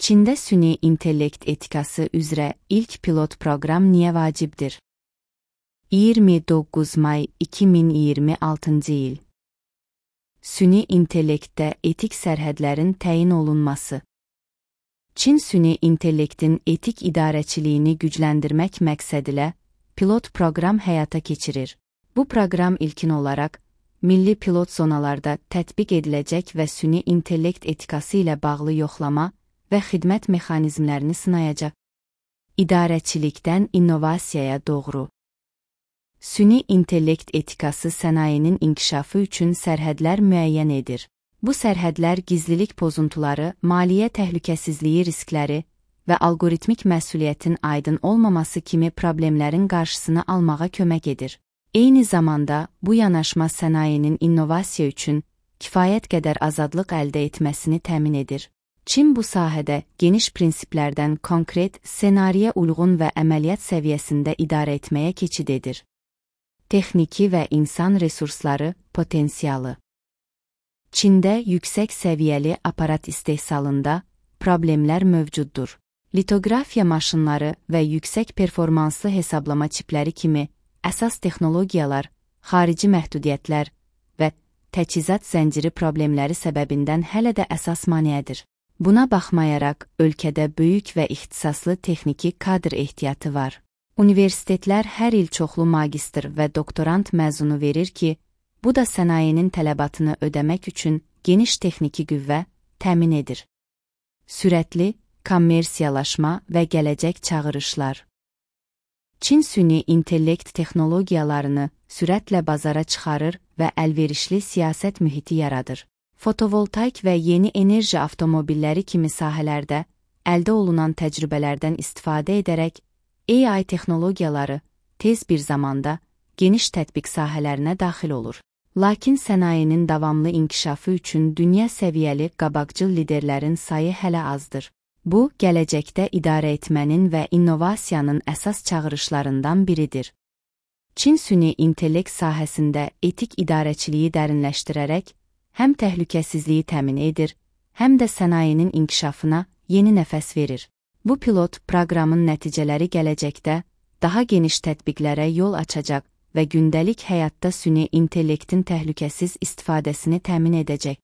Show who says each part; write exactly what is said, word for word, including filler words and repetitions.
Speaker 1: Çində süni intellekt etikası üzrə ilk pilot proqram niyə vacibdir? iyirmi doqquz may iki min iyirmi altıncı il. Süni intellektdə etik sərhədlərin təyin olunması. Çin süni intellektin etik idarəçiliyini gücləndirmək məqsədilə pilot proqram həyata keçirir. Bu proqram ilkin olaraq milli pilot zonalarda tətbiq ediləcək və süni intellekt etikası ilə bağlı yoxlama və xidmət mexanizmlərini sınayacaq. İdarəçilikdən innovasiyaya doğru. Süni intellekt etikası sənayenin inkişafı üçün sərhədlər müəyyən edir. Bu sərhədlər gizlilik pozuntuları, maliyyə təhlükəsizliyi riskləri və algoritmik məsuliyyətin aydın olmaması kimi problemlərin qarşısını almağa kömək edir. Eyni zamanda, bu yanaşma sənayenin innovasiya üçün kifayət qədər azadlıq əldə etməsini təmin edir. Çin bu sahədə geniş prinsiplərdən konkret, ssenariyə uyğun və əməliyyat səviyyəsində idarə etməyə keçid edir. Texniki və insan resursları potensialı. Çində yüksək səviyyəli aparat istehsalında problemlər mövcuddur. Litografiya maşınları və yüksək performanslı hesablama çipləri kimi əsas texnologiyalar, xarici məhdudiyyətlər və təchizat zənciri problemləri səbəbindən hələ də əsas maneədir. Buna baxmayaraq, ölkədə böyük və ixtisaslı texniki kadr ehtiyatı var. Universitetlər hər il çoxlu magistr və doktorant məzunu verir ki, bu da sənayenin tələbatını ödəmək üçün geniş texniki qüvvə təmin edir. Sürətli, kommersiyalaşma və gələcək çağırışlar. Çin süni intellekt texnologiyalarını sürətlə bazara çıxarır və əlverişli siyasət mühiti yaradır. Fotovoltaik və yeni enerji avtomobilləri kimi sahələrdə əldə olunan təcrübələrdən istifadə edərək A I texnologiyaları tez bir zamanda geniş tətbiq sahələrinə daxil olur. Lakin sənayenin davamlı inkişafı üçün dünya səviyyəli qabaqcıl liderlərin sayı hələ azdır. Bu, gələcəkdə idarə etmənin və innovasiyanın əsas çağırışlarından biridir. Çin süni intellekt sahəsində etik idarəçiliyi dərinləşdirərək, həm təhlükəsizliyi təmin edir, həm də sənayenin inkişafına yeni nəfəs verir. Bu pilot proqramın nəticələri gələcəkdə daha geniş tətbiqlərə yol açacaq və gündəlik həyatda süni intellektin təhlükəsiz istifadəsini təmin edəcək.